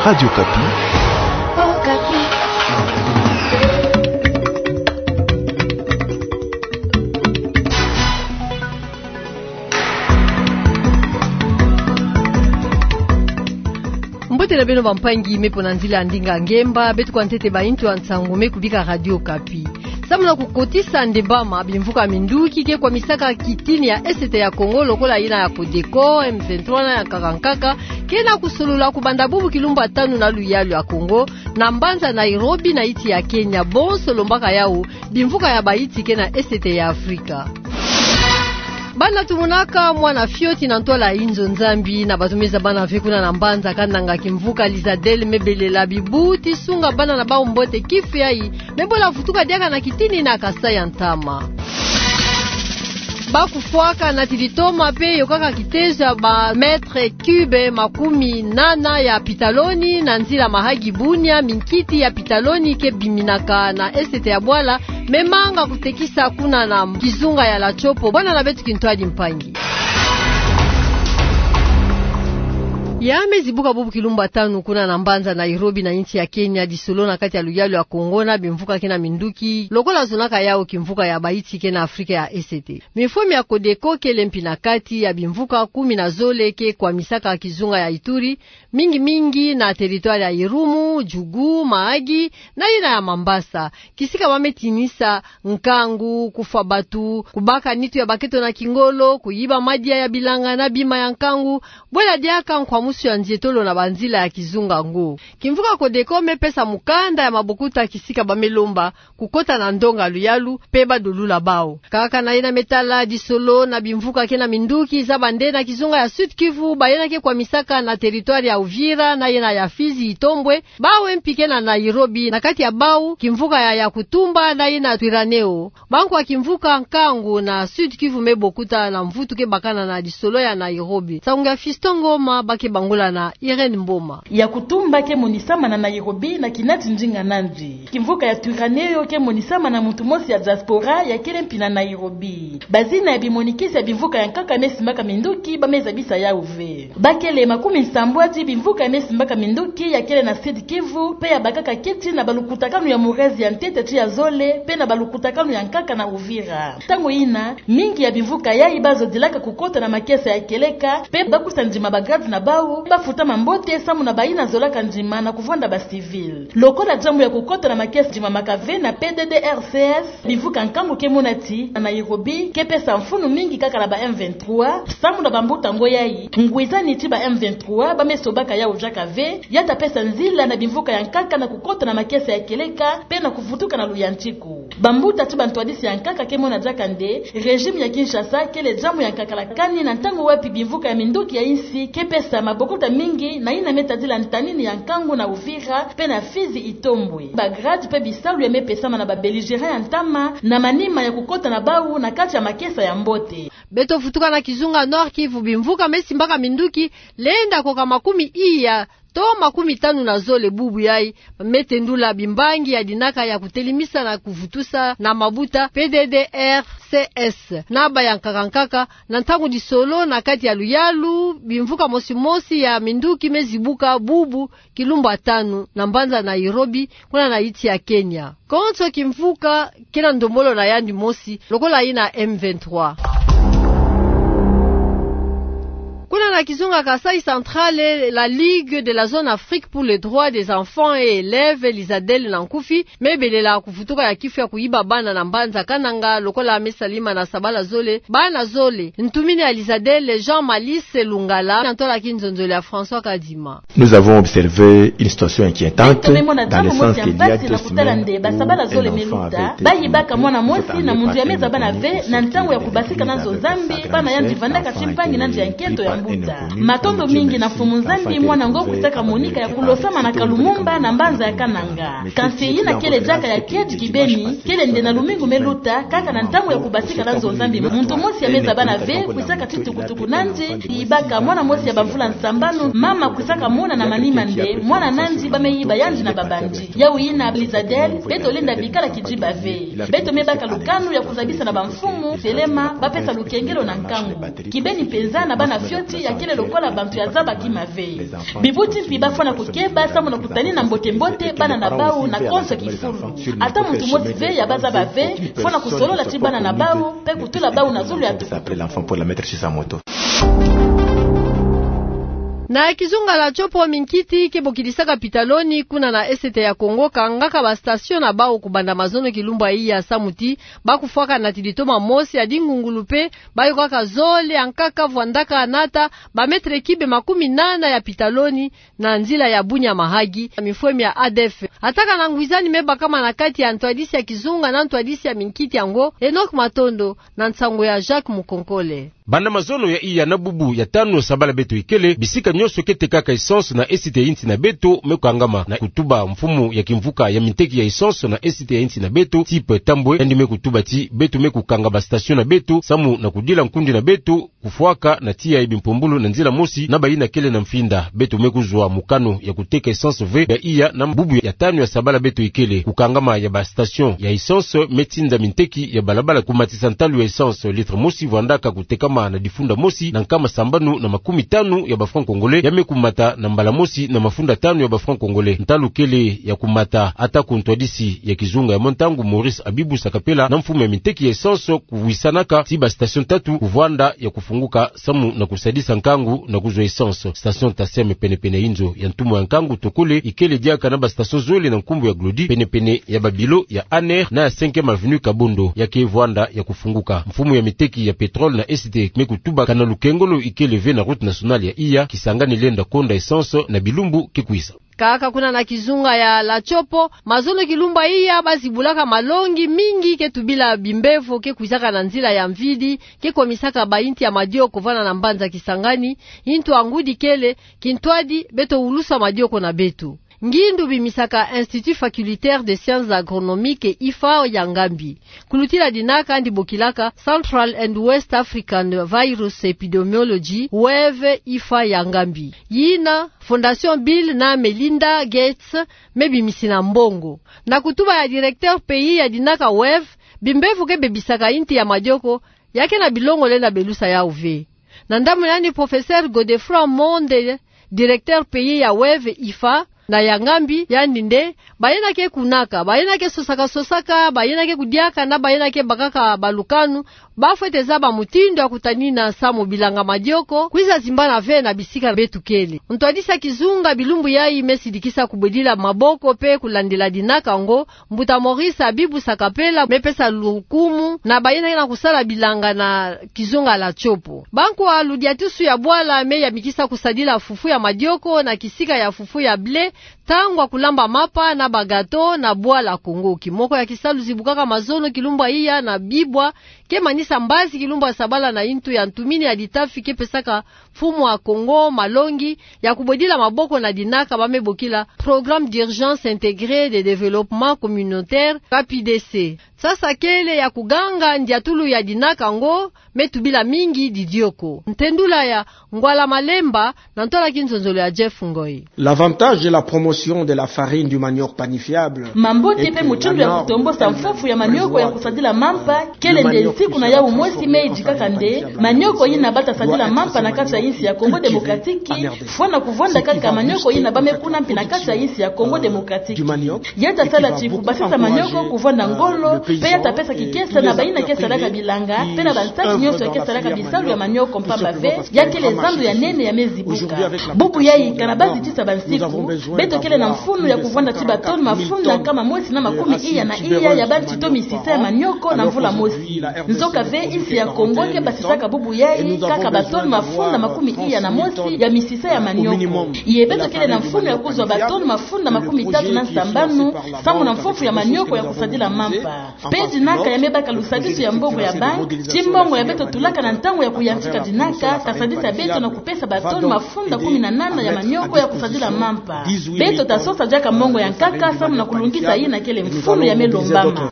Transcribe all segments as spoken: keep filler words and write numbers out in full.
Radio Kapi. Mbote na beno bampangi me mpo na nzila ya ndinga ngemba, beto kwa ntete baintu ya nsangu me kubika Radio Kapi. Samu na kukotisa ndembama bimvuka minduki ke kwamisaka kitini ya Est ya Kongo lokola yina ya Codeco, M vingt-trois na ya nkaka nkaka, ke na kusolola kubanda bubu kilumbu ya tanu na luyalu ya Kongo, na mbanza Nairobi na insi ya Kenya, bonso lombaka yawu bimvuka ya bainsi ke na Est ya Afrika. Bana tumonaka mwana fioti na ntwala inzo Nzambi na bato me zaba bana ve kuna na mbanza Kananga, kimvuka Lizadel me belela bibuti sunga bana na bawu mbote. Kifu yayi me bola vutuka diaka na kitini na Kasaï ya ntama. Ba kufwaka na tilitoma mpe yokaka kitezo ya ba mètres cubes makumi nana ya pitaloni na nzila Mahagi-Bunia, minkiti ya pitaloni ke biminaka na Est ya bwala, me manga kutekisa kuna na kizunga ya Latchopo. Bwana na beto Kintwadi Mpangi. Ya me zibuka bubu kilumbu ya tanu kuna na mbanza Nairobi na insi ya Kenya, disolo na kati ya luyalu ya Kongo na bimvuka ke na minduki, lokola zonaka yawu kimvuka ya bainsi ke na Afrika ya Est. Mifumi ya Codeco kele mpi na kati ya bimvuka kumi na zole ke kwamisaka kizunga ya Ituri, mingi mingi na territoire ya Irumu, Djugu, Mahagi, na yina ya Mambasa. Kisika ba me tinisa nkangu, kufwa bato, kubaka nitu ya baketo na kingolo, kuyiba madia ya bilanga na bima ya nkangu, bwela diaka nkwamusu ya nzietolo na banzila ya kizunga ngo. Kimvuka Codeco me pesa mukanda ya mabokuta kisika ba me lomba kukota na ndonga luyalu mpe ba dolula bawu. Kaka na yina me tala disolo na bimvuka ke na minduki, zaba nde na kizunga ya Sud-Kivu, ba yina ke kwamisaka na territoire ya Uvira na yina ya Fizi, Itombwe, bawu mpi ke na Nairobi, na kati ya bawu kimvuka ya Yakutumba na yina Twiraneho. Bankwa kimvuka nkangu na Sud-Kivu me bokuta na mvutu ke bakana na disolo ya Nairobi. Nsangu ya Fiston Ngoma, ba ke bangula na Irène Mboma. Yakutumba ke monisama na Nairobi na kinati ndinga nandi. Kimvuka ya Twiraneho ke monisama na muntu mosi ya diaspora ya kele mpi na Nairobi. Bazina ya bimonikisi ya bimvuka ya nkaka me simbaka minduki ba me zabisa yawu ve. Ba kele makumi nsambwadi bimvuka ya me simbaka minduki ya kele na Sud-Kivu, mpe ya bakaka keti na balukutakanu ya Murezi ya ntete tii ya zole, mpe na balukutakanu ya nkaka na Uvira. Ntangu yina, mingi ya bimvuka yayi ba zodilaka kukota na makesa ya kieleka, mpe ba kusa ndima ba grade na bawu, ba futama mbote samu na bayina zolaka ndima na kuvwanda ba civil. Lokola diambu ya kukota na makesa ndimamaka ve na P D D R C S, bimvuka nkangu ke mona ti na Nairobi ke pesa mfunu mingi kaka na ba M vingt-trois, samu na bambuta ngo yayi, ngwizani ti ba M vingt-trois ba me sobaka yawu diaka ve, ya ta pesa nzila na bimvuka ya nkaka na kukota na makesa ya kieleka, mpe na kuvutuka na luyantiku. Bambuta ti bantwadisi ya nkaka ke mona diaka nde, régime ya Kinshasa kele diambu ya nkakalakani na ntangu wapi bimvuka ya minduki ya insi ke pesa mabokuta mingi na yina me tadila ntanini ya nkangu na Uvira, mpe na Fizi, Itombwe. Ba grade mpe bisalu ya me pesama na ba belligérants ya ntama na manima ya kukota na bawu na kati ya makesa ya mbote. Beto vutuka na kizunga Nord-Kivu, bimvuka me simbaka minduki lenda koka makumi iya to makumi tanu na zole bubu yayi, me tendula bimbangi ya dinaka ya kutelemisa na kuvutusa na mabuta P D D R C S na ba ya nkaka nkaka, na ntangu disolo na kati ya luyalu, bimvuka mosi mosi ya minduki me zibuka bubu kilumbu ya tanu na mbanza Nairobi, kuna na insi ya Kenya. Konso kimvuka ke na ndombolo na yandi mosi, lokola yina M vingt-trois. Kuna na kizunga Kasaï Central, la Ligue de la Zone Afrique pour les droits des enfants et élèves, Lizadel na nkufi, me belela kuvutuka ya kifu ya kuyiba bana na mbanza Kananga, lokola me salima na sabala zole, bana zole, ntumini ya Lizadel, Jean Malice Lungala, na ntwala kinzonzolo ya François Kadima. Nous avons observé une situation inquiétante dans le sens qu'il y a deux semaines où un enfant avait été violé. Beto me mona diambu mosi ya mpasi na kutala nde basabala zole me luta, ba yibaka mwana mosi na muntu ya me zaba bana ve na ntangu ya kubasika na nzo Nzambi, bana yandi vandaka ti mpangi na ndia nkento ya mbuta. Matondo mingi na Mfumu Nzambi, mwana ngo kwisaka monika ya kulosamana ka Lumumba na mbanza ya Kananga. Kansi yina kele diaka ya kiadi kibeni, kele nde na lumingu me luta, kaka na ntangu ya kubasika na nzo Nzambi, muntu mosi ya me zaba bana ve, kwisaka ti tukutuku nandi, yibaka mwana mosi ya bamvula nsambanu, mama kwisaka mona na manima nde mwana nandi ba me yiba yandi na babandi. Yawu yina Lizadel, beto lenda bikala kidiba ve. Beto me baka lukanu ya kuzabisa na bamfumu, telema, ba pesa lukengelo na nkangu. Kibeni mpenza na bana fioti Ya kele lokola bantu ya zabaki mabe. Bibuti mpi bafwana kukeba samu na kutanina mbote-mbote bana na bau na konso kifulu. Ata muntu mosi ve ya bazaba ve, fwana kusolola ti bana na bau, pe kutula bau na zulu ya tukutuku. Na kizunga la Tshopo, minkiti ke bokilisaka pitaloni kuna na Est ya Kongo kangaka ba station na bau kubanda mazono kilumbu ya iya samu ti bakufwaka nati litoma mosi ya dingungulu pe bayokaka zole, ankaka vwandaka nata ba mètre cube makumi nana ya pitaloni na nzila ya Bunia-Mahagi, na mifwemi ya A D F. Atakana ngwizani me bakama na kati ya ntwadisi ya kizunga na ntwadisi ya minkiti yango, Enoch Matondo, na nsangu ya Jacques Mukonkole. Banda mazono ya iya na bubu ya tanu sabala beto ikele, bisika nyonso ke tekaka essence na Est ya insi na beto me kangama na kutuba mfumu ya kimvuka ya minteki ya essence na Est ya insi na beto, Tip Tambwe, yandi me kutuba ti beto me kukanga ba station na beto samu na kudila nkundi na beto kufwaka na tiya ya bimpumbulu na nzila mosi na bayina kele na mfinda. Beto me kuzwa mokano ya kuteka essence ve ya iya na bubu ya tanu ya sabala beto ikele. Kukangama ya ba station ya essence me tinda minteki ya balabala kumatisa ntalu ya essence. Litre mosi vwandaka kutekama na difunda mosi na nkama sambanu na makumi tanu ya ba francs congolais, ya me kumata na mbala mosi na mafunda tanu ya ba francs congolais. Ntalu kele ya kumata, ata ku ntwadisi ya kizunga ya mwa ntangu Maurice Abibu Sakapela na mfumu ya minteki ya essence kuwisanaka ti ba station tatu kuvwanda ya kufunguka samu na kusadisa nkangu na kuzwa essence. Station Tasem pene-pene ya inzo ya ntumu ya nkangu Tokole ikele diaka na ba station zole na nkumbu ya Glody pene-pene ya ba bureau ya ANR na ya cinquième avenue Kabondo, ya ke vwanda ya kufunguka. Mfumu ya minteki ya pétrole na Est me kutuba kana lukengolo ikele ve na route nationale ya iya Kisangani lenda konda essence na bilumbu ke kwisa. Kaka kuna na kizunga ya la Tshopo, mazono kilumbu ya iya bazibulaka malongi mingi ke tubila bimbevo ke kwizaka na nzila ya mvidi, ke komisaka bayinti ya madioko vwanda na mbanza Kisangani, yintu ya ngudi kele kintwadi beto wulusa madioko na beto. Ngindu bimisaka Institut Facultaire de Sciences Agronomiques, IFA, ya Ngambi. Kulutila dinaka yandi bokilaka Central and West African Virus Epidemiology, WEV, IFA ya Ngambi. Yina Fondation Bill na Melinda Gates me bimisina mbongo. Na kutuba ya directeur pays ya dinaka WEV, bimbevo ke bebisaka yinti ya madioko, ya ke na bilongo lenda belusa yau ve. Na ndambu na yandi, professeur Godefroid Monde, directeur pays ya WEV, IFA, na ya Ngambi, yandi nde, bayina ke kunaka, bayina ke sosaka-sosaka, bayina ke kudiaka, na bayina ke bakaka balukanu, bafwete zaba mutindu ya kutanina samu bilanga madioko kwiza zimbana ve na bisika beto kele. Ntwadisi ya kizunga bilumbu yayi me sidikisa kubwedila maboko pe kulandila dinaka yango, Mbuta Maurice Abibu Sakapela me pesa lukumu na bayina ke na kusala bilanga na kizunga la Tshopo. Bankwa ludiatusu ya bwala me yamikisa kusadila fufu ya madioko na kisika ya fufu ya blé, tangwa kulamba mapa na ba gâteau na bwala Kongo. Kimoko ya kisalu zibukaka mazono kilumbu ya iya na bibwa ke manisa mbazi kilumbu ya sabala na yintu ya ntumini ya ditafi ke pesaka mfumu ya Kongo malongi ya kubwedila maboko na dinaka ba me bokila Programme d'urgence intégré de développement communautaire, K P D C. Sasa kele ya kuganga ndiatulu ya dinaka yango me tubila mingi didioko. Ntendula ya Ngwala Malemba na ntwala kinzonzolo ya Jeff Ngoy. L'avantage de la promotion de la farine du manioc panifiable. Mambote pe mutindu ya kutombosa mfufu ya manioko ya kusadila mampa kele nde nsiku na yau mosi me idikaka nde manioko yina bata sadila mampa na kati ya insi ya Congo Démocratique fwana kuvonda kaka manioko yina ba me kuna mpi na kati ya insi ya Congo Démocratique. Ya ta sala ti kubasisa manioko kuvonda ngolo, pe ya ta pesa kikesa na bayina ke salaka bilanga, pe na bansaki nyonso ya ke salaka bisalu ya manioko, mpamba ve ya kele zando ya nene ya me zibuka. Bubu yayi kana ba zitisa bansiku, beto kele na mfunu ya kuvonda ti batoni mafunda nkama mosi na makumi iya na iya ya bantito misisa ya manioko na mvula mosi. Nzoka ve insi ya Congo ke basisaka bubu yayi kaka batoni mafunda makumi iya na mosi ya misisa ya manioko. Ye beto kele na mfunu ya kuzwa batoni mafunda makumi tatu na sambanu, samu na mfufu ya manioko ya kusadila mampa. Pe dinaka ya me baka lusadisu ya mbongo ya banque, ti mbongo ya beto tulaka na ntangu ya kuyantika dinaka, ta sadisa beto na kupesa batoni mafunda kumi na nana ya manioko ya kusadila mampa. Beto ta sosa diaka mbongo ya nkaka, samu na kulungisa yina kele mfunu ya me lombama.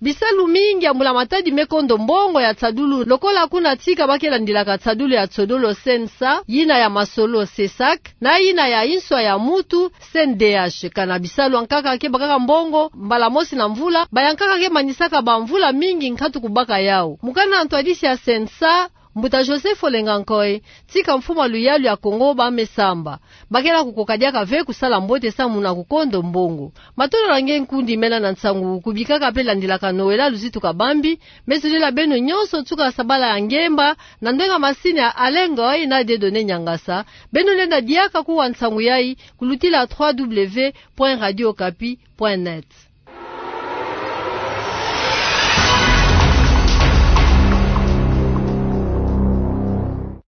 Bisalu mingi ya mbula matadi me kondo mbongo ya tiadulu, lokola kuna tika ba ke landilaka tiadulu ya tiodolo CNSA, yina ya masolo CSAC, na yina ya inswa ya mutu CNDH. Kana bisalu ya nkaka ke bakaka mbongo mbala mosi na mvula, ba ya nkaka ke manisaka bamvula mingi nkatu kubaka yau. Mukana ntwadisi ya CNSA, Mbuta Joseph Olenga Nkoy, tika mfumu a luyalu ya Kongo ba me samba. Bakela kukoka diaka ve kusala mbote samu na kukondo mbongo. Matondo na nge nkundi mena na nsangu, kubikaka pe landilaka Noëlla Luzitu Kabambi, me zolila beno nyonso nsuka sabala ya ngemba, na ndwenga masini ya Alain Ngoy na Dieudonné Niangasa, beno lenda diaka kuwa nsangu yayi, kulutila trois W point radio okapi point net.